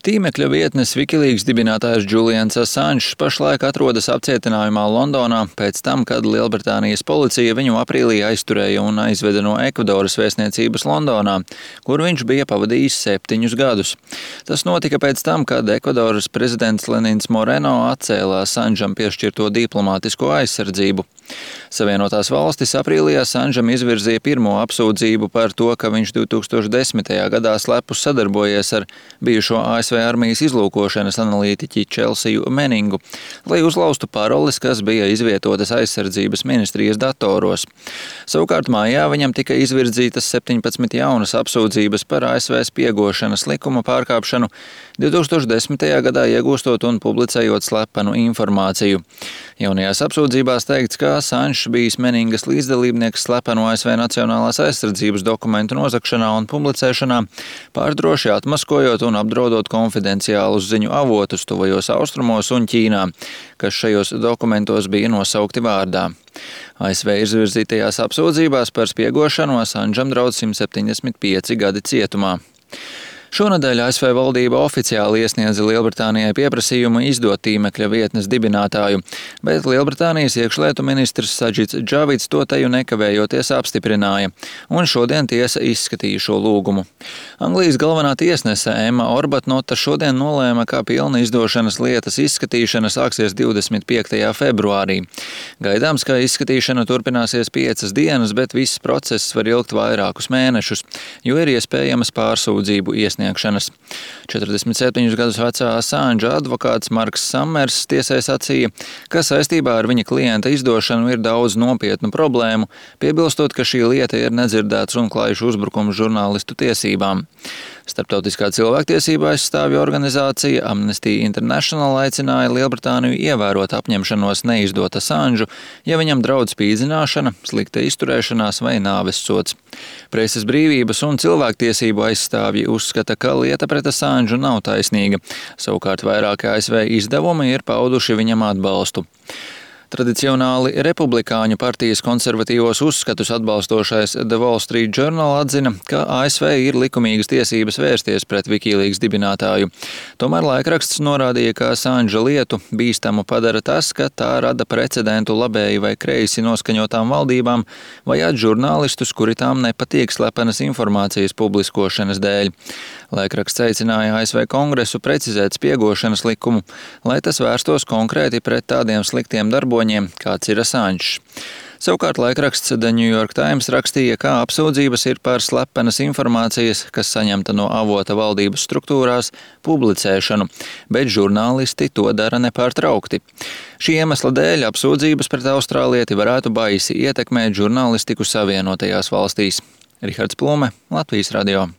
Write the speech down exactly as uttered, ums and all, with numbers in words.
Tīmekļa vietnes Wikileaks dibinātājs Julians Assange pašlaik atrodas apcietinājumā Londonā pēc tam, kad Lielbritānijas policija viņu aprīlī aizturēja un aizveda no Ekvadoras vēstniecības Londonā, kur viņš bija pavadījis septiņus gadus. Tas notika pēc tam, kad Ekvadoras prezidents Lenins Moreno atcēla Assangeam piešķirto diplomātisko aizsardzību. Savienotās valstis aprīlī Assangeam izvirzīja pirmo apsūdzību par to, ka viņš divtūkstoš desmitajā gadā slepus sadarbojies ar bijušo A S V armijas izlūkošanas analītiķi Chelsiju Meningu, lai uzlaustu paroles, kas bija izvietotas aizsardzības ministrijas datoros. Savukārt mājā viņam tika izvirzītas septiņpadsmit jaunas apsūdzības par A S V spiegošanas likuma pārkāpšanu, divtūkstoš desmitajā gadā iegūstot un publicējot slepenu informāciju. Jaunajās apsūdzībās teikts, ka Assange bijis Meningas līdzdalībnieks slepenu A S V nacionālās aizsardzības dokumentu nozagšanā un publicēšanā, pārdroši atmaskojot un apdraudot konfidenciālus ziņu avotus tuvajos austrumos un Ķīnā, kas šajos dokumentos bija nosaukti vārdā. A S V izvirzītajās apsūdzībās par spiegošanu Assangeam draud simt septiņdesmit pieci gadi cietumā. Šonedēļ A S V valdība oficiāli iesniedza Lielbritānijai pieprasījumu izdot tīmekļa vietnes dibinātāju, bet Lielbritānijas iekšlietu ministrs Sadžits Džavids to teju nekavējoties apstiprināja, un šodien tiesa izskatīja šo lūgumu. Anglijas galvenā tiesnese Emma Arbuthnota šodien nolēma, ka pilna izdošanas lietas izskatīšana sāksies divdesmit piektajā februārī. Gaidāms, ka izskatīšana turpināsies piecas dienas, bet viss process var ilgt vairākus mēnešus, jo ir iespējamas pārsūdzību iesniegšanas. četrdesmit septiņus gadus vecā Assange advokāts Marks Summers tiesai sacīja, ka saistībā ar viņa klienta izdošanu ir daudz nopietnu problēmu, piebilstot, ka šī lieta ir nedzirdēts un klājšu uzbrukums žurnālistu tiesībām. Starptautiskā cilvēktiesība aizstāvju organizācija Amnesty International aicināja Lielbritāniju ievērot apņemšanos neizdot Assangeu, ja viņam draud spīdzināšana, slikta izturēšanās vai nāves sods. Preses brīvības un cilvēktiesību aizstāvji uzskata, ka lieta pret Assangeu nav taisnīga. Savukārt vairāki A S V izdevumi ir pauduši viņam atbalstu. Tradicionāli republikāņu partijas konservatīvos uzskatus atbalstošais The Wall Street Journal atzina, ka A S V ir likumīgas tiesības vērsties pret Wikileaks dibinātāju. Tomēr laikraksts norādīja, ka Assange lietu bīstamu padara tas, ka tā rada precedentu labēji vai kreisi noskaņotām valdībām vajāt žurnālistus, kuri tām nepatīk slepenas informācijas publiskošanas dēļ. Laikraksts aicināja A S V kongresu precizēt spiegošanas likumu, lai tas vērstos konkrēti pret tādiem sliktiem darboņiem, kāds ir Assange. Savukārt laikraksts The New York Times rakstīja, ka apsūdzības ir par slepenas informācijas, kas saņemta no avota valdības struktūrās, publicēšanu, bet žurnālisti to dara nepārtraukti. Šī iemesla dēļ apsūdzības pret austrālieti varētu baisi ietekmēt žurnālistiku Savienotajās valstīs. Rihards Plume, Latvijas radio.